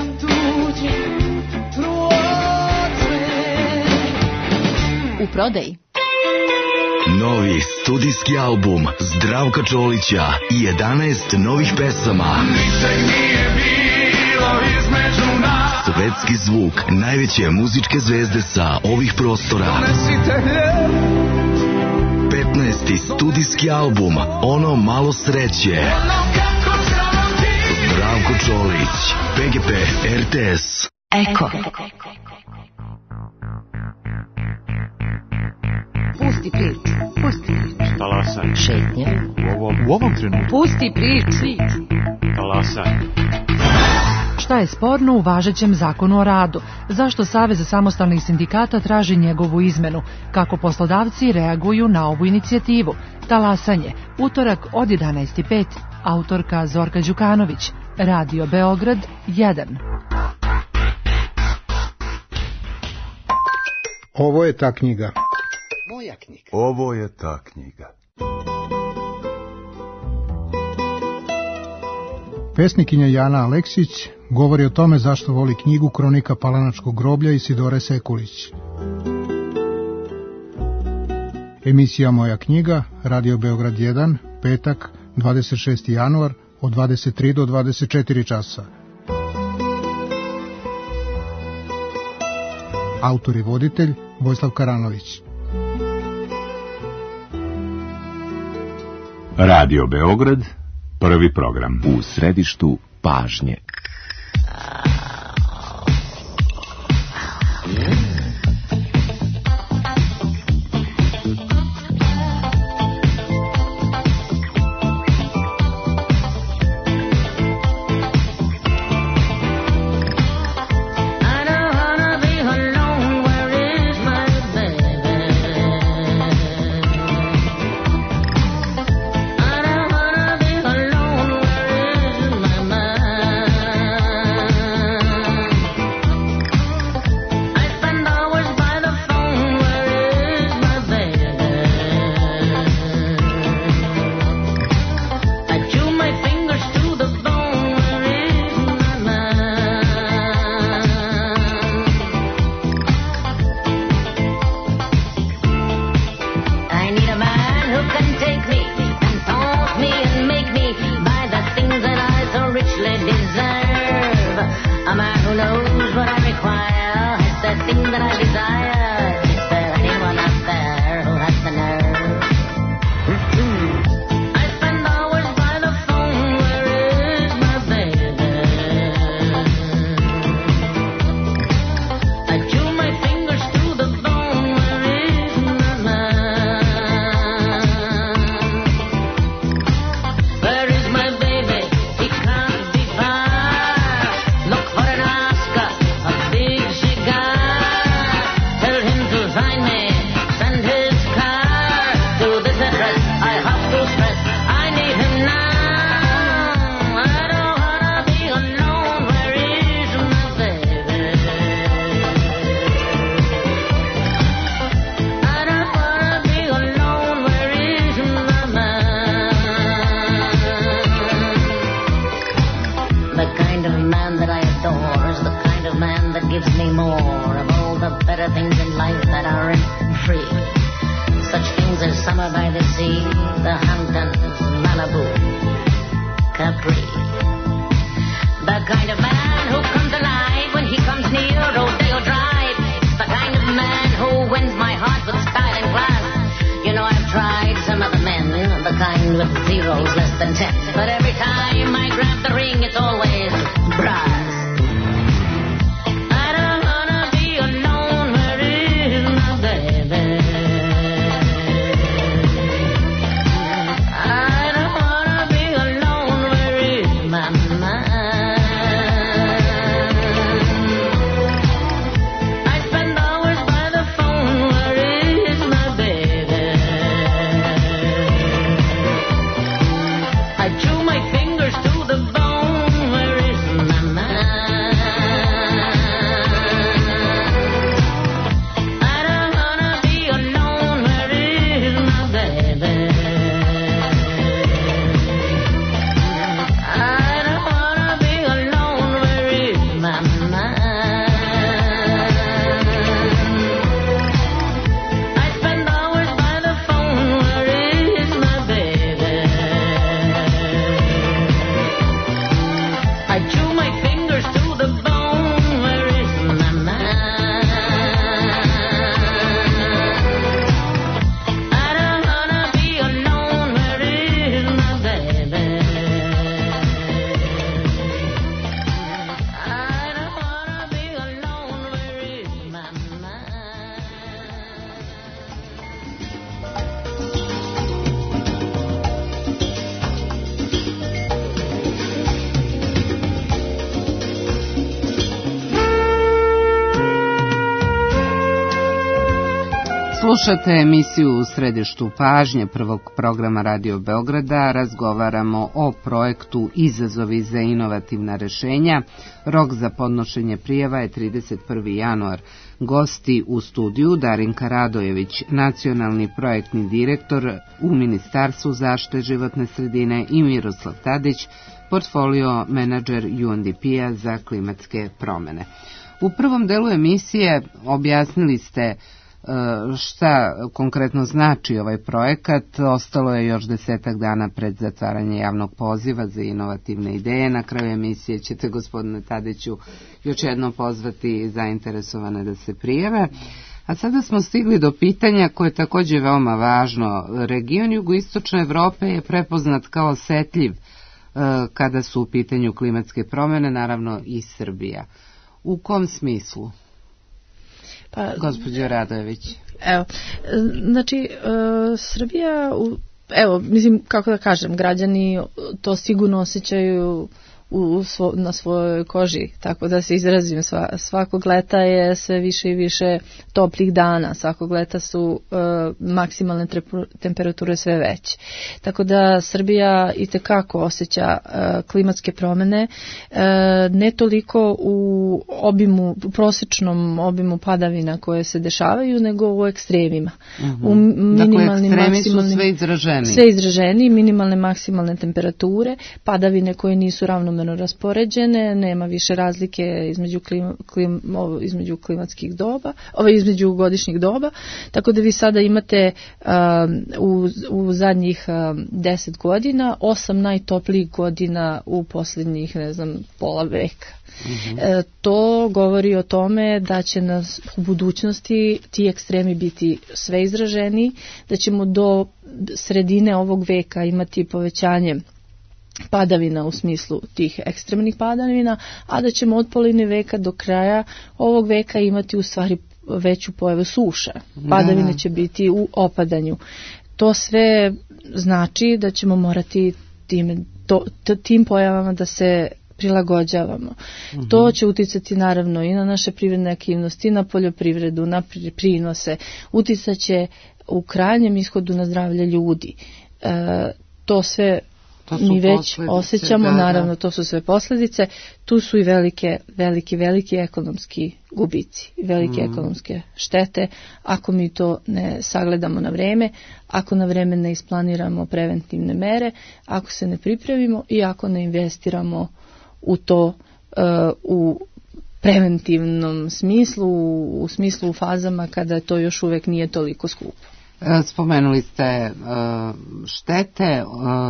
Speaker 11: U prodaji.
Speaker 9: Novi studijski album Zdravka Čolića i 11 novih pesama. Svetski zvuk najveće muzičke zvezde sa ovih prostora. 15. studijski album Ono malo sreće. Zdravko Čolić, PGP RTS.
Speaker 5: Eko.
Speaker 11: Pusti priču, pusti priču.
Speaker 10: Talasaj.
Speaker 11: Šetnje.
Speaker 10: U ovom trenutku.
Speaker 11: Pusti priču.
Speaker 10: Talasaj.
Speaker 12: Šta je sporno u važećem zakonu o radu? Zašto Savez samostalnih sindikata traži njegovu izmenu? Kako poslodavci reaguju na ovu inicijativu? Talasanje, utorak od 11:05. Autorka Zorka Đukanović. Radio Beograd 1.
Speaker 13: Ovo je ta knjiga.
Speaker 14: Moja knjiga.
Speaker 15: Ovo je ta knjiga.
Speaker 13: Pesnikinja Jana Aleksić govori o tome zašto voli knjigu Kronika Palanačkog groblja Isidore Sekulić. Emisija Moja knjiga, Radio Beograd 1, petak, 26. januar, od 23 do 24 časa. Autor i voditelj Vojislav Karanović.
Speaker 16: Radio Beograd, prvi program.
Speaker 17: U središtu pažnje.
Speaker 14: are things in life that aren't free. Such things as summer by the sea, the Hamptons, Malibu, Capri. The kind of man who comes alive when he comes near Rodeo Drive. The kind of man who wins my heart with style and class. You know, I've tried some other men, the kind with zeros less than 10. But every time I grab the ring, it's always brass. I don't wanna be alone, where is my baby? I don't wanna be alone, where is my mind? I spend hours by the phone, where is my baby? I chew my fingers to the bone, where is my mind? I don't wanna be alone, where is my baby? I don't wanna be alone, where is my mind? I spend hours by the phone, where is my baby? I chew my fingers to the bone, where is my mind? I don't wanna be alone, where is my baby? I don't wanna be alone, where is my mind?
Speaker 2: Slušate emisiju U središtu pažnje prvog programa Radio Beograda. Razgovaramo o projektu Izazovi za inovativna rešenja. Rok za podnošenje prijava je 31. januar. Gosti u studiju Darinka Radojević, nacionalni projektni direktor u Ministarstvu zaštite životne sredine, i Miroslav Tadić, portfolio menadžer UNDP-a za klimatske promene. U prvom delu emisije objasnili ste šta konkretno znači ovaj projekat. Ostalo je još 10 dana pred zatvaranje javnog poziva za inovativne ideje. Na kraju emisije ćete, gospodine Tadiću, još jednom pozvati zainteresovane da se prijave. A sada smo stigli do pitanja koje je također veoma važno. Region jugoistočne Evrope je prepoznat kao osetljiv kada su u pitanju klimatske promjene, naravno i Srbija. U kom smislu? Pa, gospođo Radojević.
Speaker 3: Evo, znači, Srbija, evo, mislim, kako da kažem, građani to sigurno osjećaju na svojoj koži, tako da se izrazim, svakog leta je sve više i više toplih dana, svakog leta su maksimalne temperature sve veće. Tako da Srbija itekako osjeća klimatske promjene, ne toliko u obimu, u prosječnom obimu padavina koje se dešavaju, nego u ekstremima. U minimalnim,
Speaker 2: dakle, ekstremi su sve izraženi.
Speaker 3: Sve izraženi, minimalne, maksimalne temperature, padavine koje nisu ravnomerno raspoređene, nema više razlike između klimatskih doba, između godišnjih doba, tako da vi sada imate u zadnjih 10 godina 8 najtoplijih godina u posljednjih, ne znam, pola veka. To govori o tome da će nas u budućnosti ti ekstremi biti sve izraženiji, da ćemo do sredine ovog veka imati povećanje padavina u smislu tih ekstremnih padavina, a da ćemo od polovine veka do kraja ovog veka imati u stvari veću pojavu suša. Padavine će biti u opadanju. To sve znači da ćemo morati tim pojavama da se prilagođavamo. To će uticati naravno i na naše privredne aktivnosti, na poljoprivredu, na prinose. Uticat će u krajnjem ishodu na zdravlje ljudi. To sve mi već osjećamo, naravno to su sve posljedice, tu su i veliki ekonomski gubici, velike ekonomske štete ako mi to ne sagledamo na vreme, ako na vreme ne isplaniramo preventivne mere, ako se ne pripremimo i ako ne investiramo u to u preventivnom smislu, u smislu u fazama kada to još uvek nije toliko skupo.
Speaker 2: Spomenuli ste štete,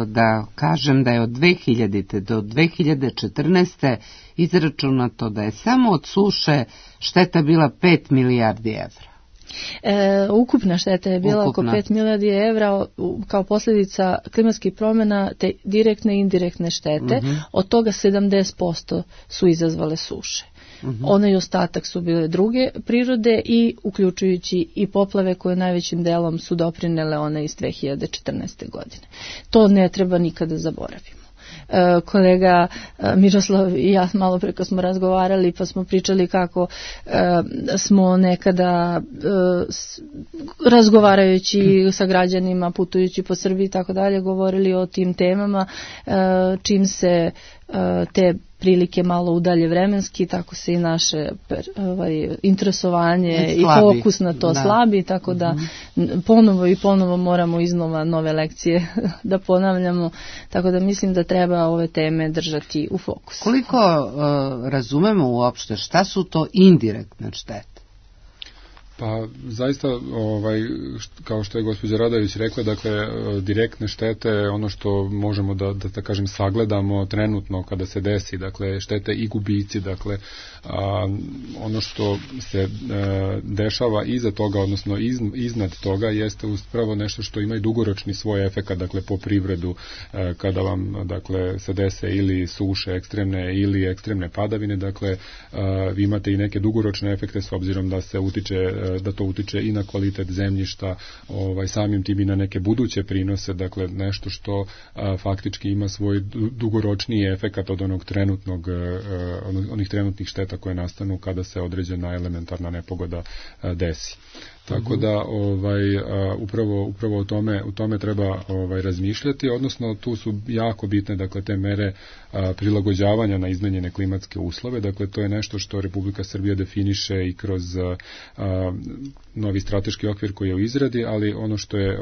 Speaker 2: da kažem da je od 2000. do 2014. izračunato da je samo od suše šteta bila 5 milijardi evra.
Speaker 3: Ukupna šteta je bila oko 5 milijardi evra kao posljedica klimatskih promjena te direktne i indirektne štete. Od toga 70% su izazvale suše. Onaj ostatak su bile druge prirode i uključujući i poplave koje najvećim delom su doprinele one iz 2014. godine. To ne treba nikada zaboraviti. Kolega Miroslav i ja malo preko smo razgovarali pa smo pričali kako smo nekada razgovarajući sa građanima, putujući po Srbiji i tako dalje, govorili o tim temama, čim se te prilike malo udalje vremenski, tako se i naše interesovanje i fokus na to slabi, tako da ponovo moramo iznova nove lekcije da ponavljamo, tako da mislim da treba ove teme držati u fokusu.
Speaker 2: Koliko razumemo uopšte šta su to indirektne štete?
Speaker 4: Pa zaista, kao što je gospođa Radović rekla, dakle, direktne štete, ono što možemo da kažem sagledamo trenutno kada se desi, dakle, štete i gubici, dakle, ono što se dešava iza toga, odnosno iznad toga, jeste upravo nešto što ima i dugoročni svoj efekat, dakle, po privredu, kada vam, dakle, se dese ili suše ekstremne ili ekstremne padavine, dakle, vi imate i neke dugoročne efekte s obzirom da to utiče i na kvalitet zemljišta, samim tim i na neke buduće prinose, dakle nešto što faktički ima svoj dugoročniji efekat od onih trenutnih šteta koje nastanu kada se određena elementarna nepogoda desi. Tako da upravo o tome treba razmišljati, odnosno tu su jako bitne, dakle, te mere prilagođavanja na izmenjene klimatske uslove, dakle to je nešto što Republika Srbija definiše i kroz novi strateški okvir koji je u izradi, ali ono što je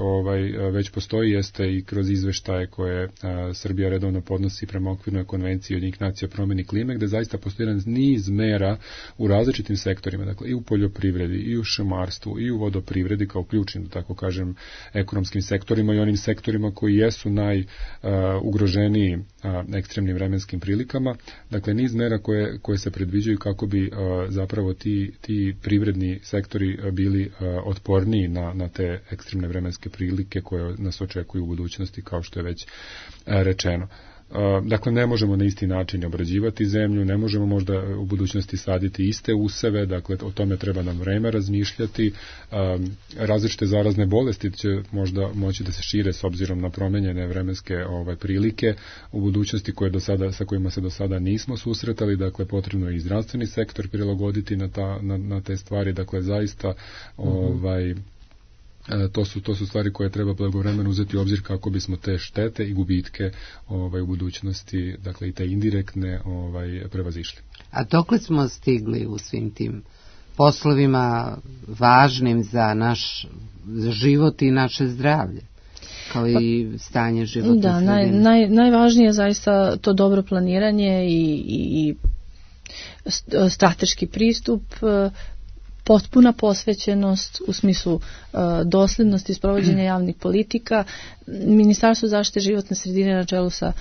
Speaker 4: već postoji jeste i kroz izveštaje koje Srbija redovno podnosi prema okvirnoj konvenciji Ujedinjenih nacija o promjeni klime, gde zaista postoji niz mera u različitim sektorima, dakle i u poljoprivredi, i u šumarstvu, i u vodoprivredi kao ključnim, da tako kažem, ekonomskim sektorima i onim sektorima koji jesu najugroženiji ekstremnim vremenskim prilikama. Dakle, niz mera koje se predviđaju kako bi zapravo ti privredni sektori bili otporniji na te ekstremne vremenske prilike koje nas očekuju u budućnosti, kao što je već rečeno. Dakle, ne možemo na isti način obrađivati zemlju, ne možemo možda u budućnosti saditi iste useve, dakle o tome treba nam vreme razmišljati. Različite zarazne bolesti će možda moći da se šire s obzirom na promenjene vremenske prilike u budućnosti sa kojima se do sada nismo susretali, dakle potrebno je i zdravstveni sektor prilagoditi na te stvari, dakle zaista to su stvari koje treba blagovremeno uzeti u obzir kako bismo te štete i gubitke u budućnosti, dakle i te indirektne prevazišli.
Speaker 2: A dokle smo stigli u svim tim poslovima važnim za naš život i naše zdravlje, kao i stanje životne sredine?
Speaker 3: Najvažnije je zaista to dobro planiranje i strateški pristup, potpuna posvećenost u smislu dosljednosti sprovođenja javnih politika. Ministarstvo zaštite životne sredine na čelu sa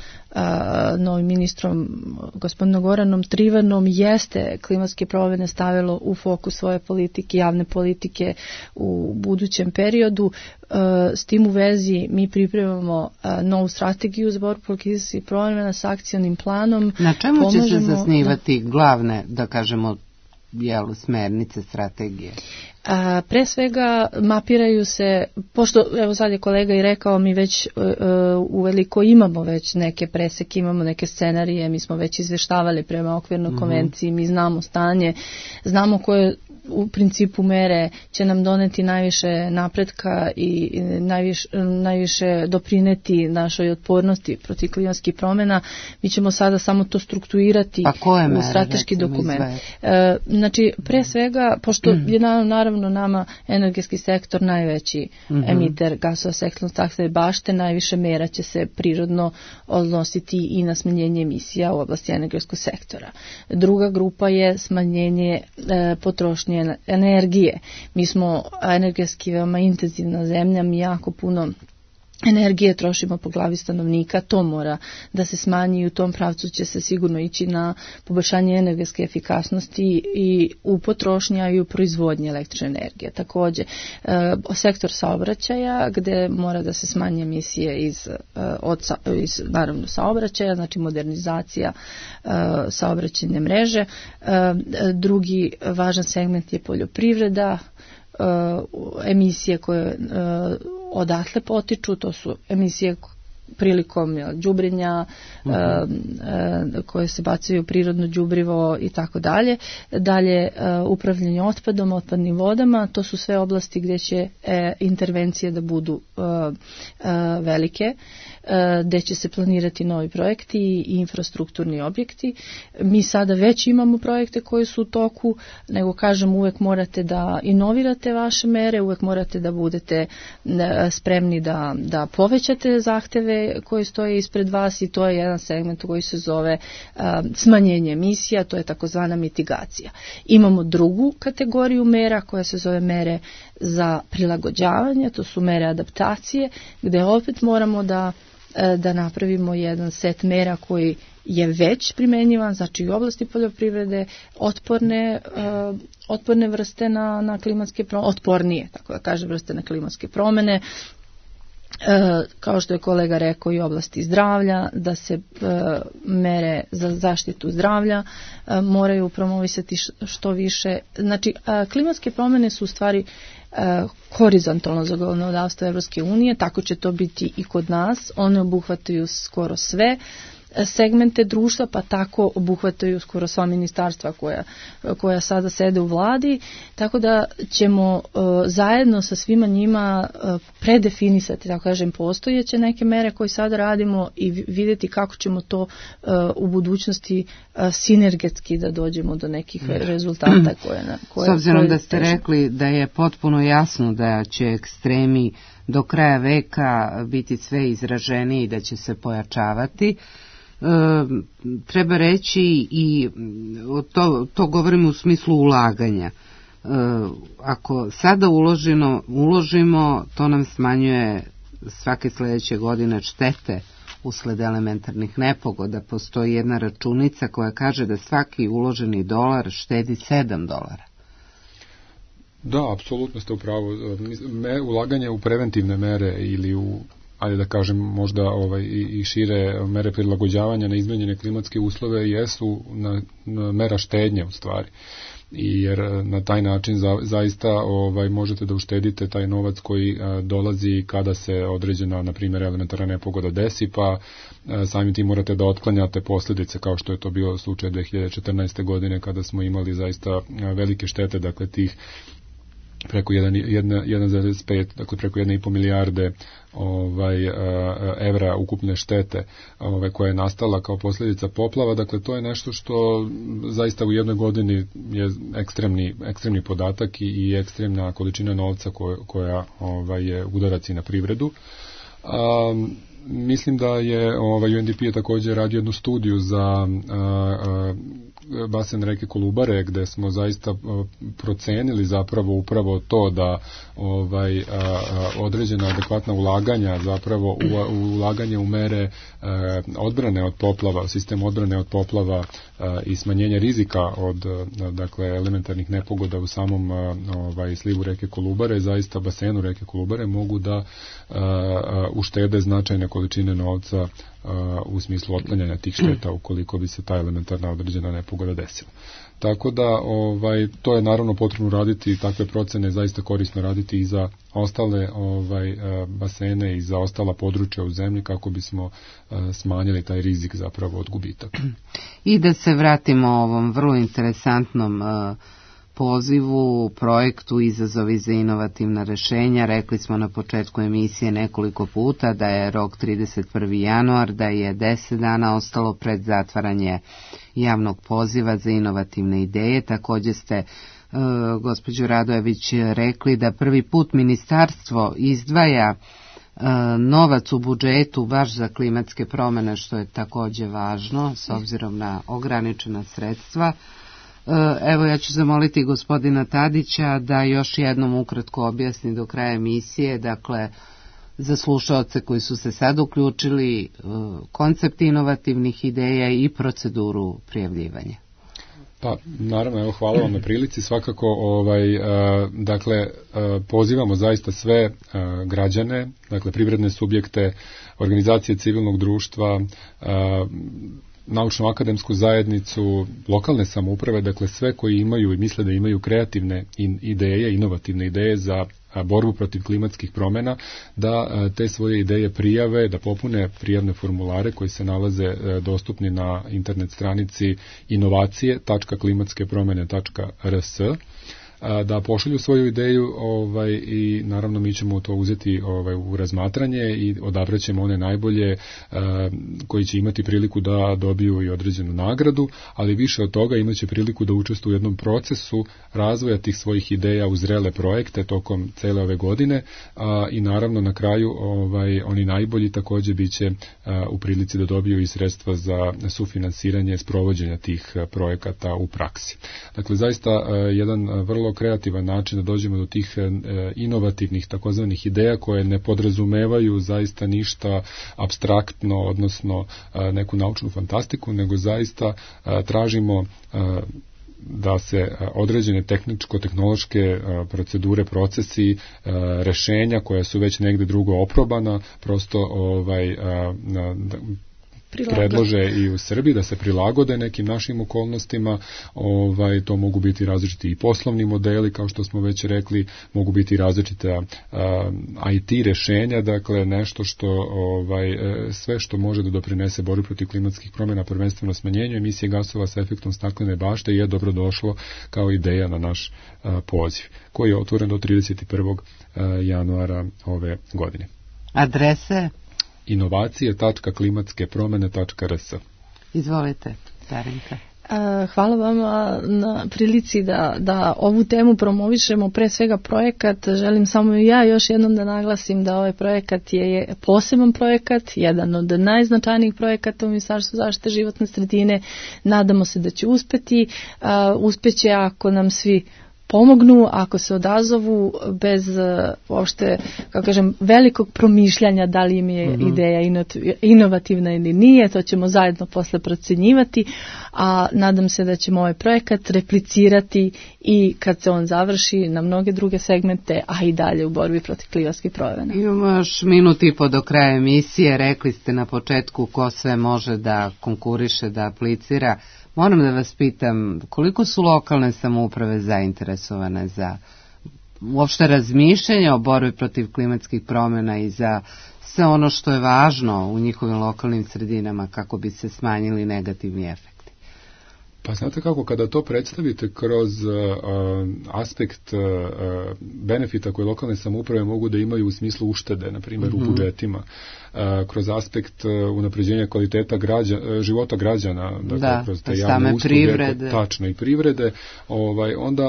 Speaker 3: novim ministrom gospodinom Goranom Trivanom jeste klimatske promjene stavilo u fokus svoje politike, javne politike u budućem periodu. S tim u vezi mi pripremamo novu strategiju za borbu protiv klimatskih promjena s akcionim planom.
Speaker 2: Na čemu će se zasnivati glavne, da kažemo, smernice strategije?
Speaker 3: Pre svega mapiraju se, pošto evo sad je kolega i rekao, mi već uveliko imamo već neke preseke, imamo neke scenarije, mi smo već izveštavali prema okvirnoj konvenciji, mi znamo stanje, znamo koje u principu mere će nam doneti najviše napretka i najviše doprineti našoj otpornosti protiv klimatskih promjena. Mi ćemo sada samo to strukturirati u strateški dokument. Znači, pre svega, pošto je naravno nama energetski sektor najveći emiter gasova s efektom staklene bašte, najviše mera će se prirodno odnositi i na smanjenje emisija u oblasti energetskog sektora. Druga grupa je smanjenje potrošnje energije. Mi smo energetski veoma intenzivna zemlja, mi jako puno energije trošimo po glavi stanovnika, to mora da se smanji i u tom pravcu će se sigurno ići na poboljšanje energetske efikasnosti i u potrošnji i u proizvodnji električne energije. Također, sektor saobraćaja gdje mora da se smanje emisije iz naravno saobraćaja, znači modernizacija saobraćajne mreže. Drugi važan segment je poljoprivreda, emisije koje odatle potiču, to su emisije prilikom đubrenja koje se bacaju u prirodno đubrivo i tako dalje. Dalje, upravljanje otpadom, otpadnim vodama, to su sve oblasti gdje će intervencije da budu velike, gdje će se planirati novi projekti i infrastrukturni objekti. Mi sada već imamo projekte koji su u toku, nego kažem, uvek morate da inovirate vaše mere, uvek morate da budete spremni da povećate zahteve koji stoje ispred vas i to je jedan segment koji se zove smanjenje emisija, to je takozvana mitigacija. Imamo drugu kategoriju mera koja se zove mere za prilagođavanje, to su mere adaptacije, gdje opet moramo da napravimo jedan set mera koji je već primjenjivan, znači u oblasti poljoprivrede, otporne vrste na klimatske promjene, otpornije, tako da kažem, vrste na klimatske promjene, kao što je kolega rekao i oblasti zdravlja, da se mere za zaštitu zdravlja moraju promovisati što više. Znači, klimatske promjene su u stvari horizontalno zakonodavstvo Evropske unije, tako će to biti i kod nas. One obuhvataju skoro sve segmente društva, pa tako obuhvataju skoro sva ministarstva koja sada sede u vladi, tako da ćemo zajedno sa svima njima predefinisati, tako kažem, postojeće neke mere koje sada radimo i vidjeti kako ćemo to u budućnosti sinergetski da dođemo do nekih rezultata koje
Speaker 2: s obzirom da ste rekli da je potpuno jasno da će ekstremi do kraja veka biti sve izraženiji i da će se pojačavati. Treba reći i to govorimo u smislu ulaganja. Ako sada uložimo, to nam smanjuje svake sljedeće godine štete usled elementarnih nepogoda. Postoji jedna računica koja kaže da svaki uloženi dolar štedi $7.
Speaker 4: Da, apsolutno ste u pravu. Ulaganje u preventivne mere ili u, ajde da kažem, možda i šire mere prilagođavanja na izmenjene klimatske uslove jesu mera štednje u stvari. Jer na taj način zaista možete da uštedite taj novac koji dolazi kada se određena, na primjer, elementarna nepogoda desi, pa samim tim morate da otklanjate posljedice, kao što je to bio slučaj 2014. godine kada smo imali zaista velike štete, dakle tih preko 1,5, dakle preko 1,5 milijarde evra ukupne štete koja je nastala kao posljedica poplava. Dakle, to je nešto što zaista u jednoj godini je ekstremni podatak i ekstremna količina novca koja je udarac i na privredu. Mislim da je UNDP je također radio jednu studiju za basen reke Kolubare, gde smo zaista procenili zapravo upravo to da određena adekvatna ulaganja, zapravo ulaganje u mere odbrane od poplava, sistem odbrane od poplava i smanjenje rizika od dakle elementarnih nepogoda u samom slivu reke Kolubare, zaista basenu reke Kolubare mogu da uštede značajne količine novca u smislu otklanjanja tih šteta ukoliko bi se ta elementarna određena nepogoda desila. Tako da to je naravno potrebno raditi, takve procene zaista korisno raditi i za ostale basene i za ostala područja u zemlji kako bismo smanjili taj rizik zapravo od gubitaka.
Speaker 2: I da se vratimo ovom vrlo interesantnom pozivu, projektu Izazovi za inovativna rešenja. Rekli smo na početku emisije nekoliko puta da je rok 31. januar, da je 10 dana ostalo pred zatvaranje javnog poziva za inovativne ideje. Također ste, gospođo Radojević, rekli da prvi put ministarstvo izdvaja novac u budžetu baš za klimatske promjene, što je također važno s obzirom na ograničena sredstva. Evo, ja ću zamoliti gospodina Tadića da još jednom ukratko objasni do kraja emisije, dakle, za slušaoce koji su se sad uključili, koncept inovativnih ideja i proceduru prijavljivanja.
Speaker 4: Pa, naravno, evo, hvala vam na prilici. Svakako, dakle, pozivamo zaista sve građane, dakle, privredne subjekte, organizacije civilnog društva, naučno-akademsku zajednicu, lokalne samouprave, dakle sve koji imaju i misle da imaju kreativne ideje, inovativne ideje za borbu protiv klimatskih promjena, da te svoje ideje prijave, da popune prijavne formulare koji se nalaze dostupni na internet stranici inovacije.klimatske-promjene.rs, da pošalju svoju ideju i naravno mi ćemo to uzeti u razmatranje i odabrat ćemo one najbolje koji će imati priliku da dobiju i određenu nagradu, ali više od toga imat će priliku da učestvuju u jednom procesu razvoja tih svojih ideja u zrele projekte tokom cele ove godine i naravno na kraju oni najbolji također bit će u prilici da dobiju i sredstva za sufinansiranje sprovođenja tih projekata u praksi. Dakle, zaista jedan vrlo kreativan način da dođemo do tih inovativnih takozvanih ideja koje ne podrazumevaju zaista ništa apstraktno, odnosno neku naučnu fantastiku, nego zaista tražimo da se određene tehničko-tehnološke procedure, procesi, rešenja koja su već negdje drugo oprobana, prosto predlože i u Srbiji, da se prilagode nekim našim okolnostima. To mogu biti različiti i poslovni modeli, kao što smo već rekli, mogu biti različita IT rešenja, dakle nešto što sve što može da doprinese borbi protiv klimatskih promjena, prvenstveno smanjenju emisije gasova sa efektom staklene bašte, je dobro došlo kao ideja na naš poziv, koji je otvoren do 31. januara ove godine.
Speaker 2: Adrese?
Speaker 4: inovacije.klimatske-promjene.rs.
Speaker 2: Izvolite, Darinka.
Speaker 3: Hvala vama na prilici da ovu temu promovišemo, pre svega projekat. Želim samo ja još jednom da naglasim da ovaj projekat je poseban projekat, jedan od najznačajnijih projekata u Ministarstvu zaštite životne sredine. Nadamo se da će uspeti. Uspeće ako nam svi pomognu, ako se odazovu bez uopšte, kako kažem, velikog promišljanja da li im je ideja inovativna ili nije, to ćemo zajedno posle procenjivati, a nadam se da ćemo ovaj projekat replicirati i kad se on završi na mnoge druge segmente, a i dalje u borbi protiv klimatskih promjena.
Speaker 2: Imamo još minut i po do kraja emisije. Rekli ste na početku ko sve može da konkuriše, da aplicira. Moram da vas pitam, koliko su lokalne samouprave zainteresovane za uopšte razmišljanje o borbi protiv klimatskih promjena i za sve ono što je važno u njihovim lokalnim sredinama kako bi se smanjili negativni efekti?
Speaker 4: Pa znate kako, kada to predstavite kroz aspekt benefita koje lokalne samouprave mogu da imaju u smislu uštede, na primjer u budžetima, kroz aspekt unapređenja kvaliteta života građana, dakle, kroz te javne usluge, privrede. Tačno, i privrede,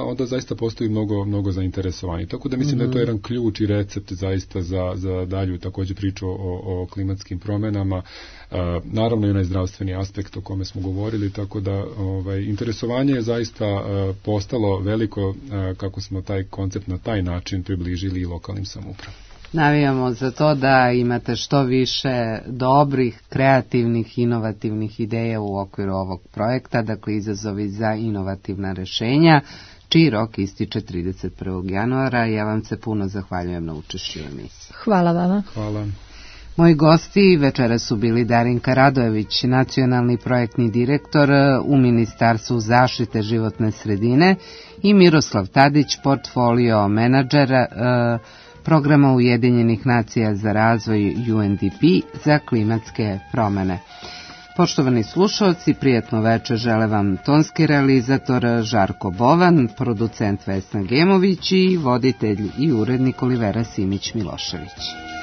Speaker 4: onda zaista postoji mnogo zainteresovani. Tako da mislim da je to jedan ključ i recept zaista za dalju također priču o klimatskim promjenama. Naravno i onaj zdravstveni aspekt o kome smo govorili, tako da interesovanje je zaista postalo veliko kako smo taj koncept na taj način približili i lokalnim samoupravama.
Speaker 2: Navijamo za to da imate što više dobrih, kreativnih, inovativnih ideja u okviru ovog projekta, dakle izazovi za inovativna rešenja, čiji rok ističe 31. januara. Ja vam se puno zahvaljujem na učešću u emisiji.
Speaker 3: Hvala vama.
Speaker 4: Hvala.
Speaker 2: Moji gosti večera su bili Darinka Radojević, nacionalni projektni direktor u Ministarstvu zaštite životne sredine, i Miroslav Tadić, portfolio menadžer programa Ujedinjenih nacija za razvoj UNDP za klimatske promjene. Poštovani slušalci, prijatno večer žele vam tonski realizator Žarko Bovan, producent Vesna Gemović i voditelj i urednik Olivera Simić Milošević.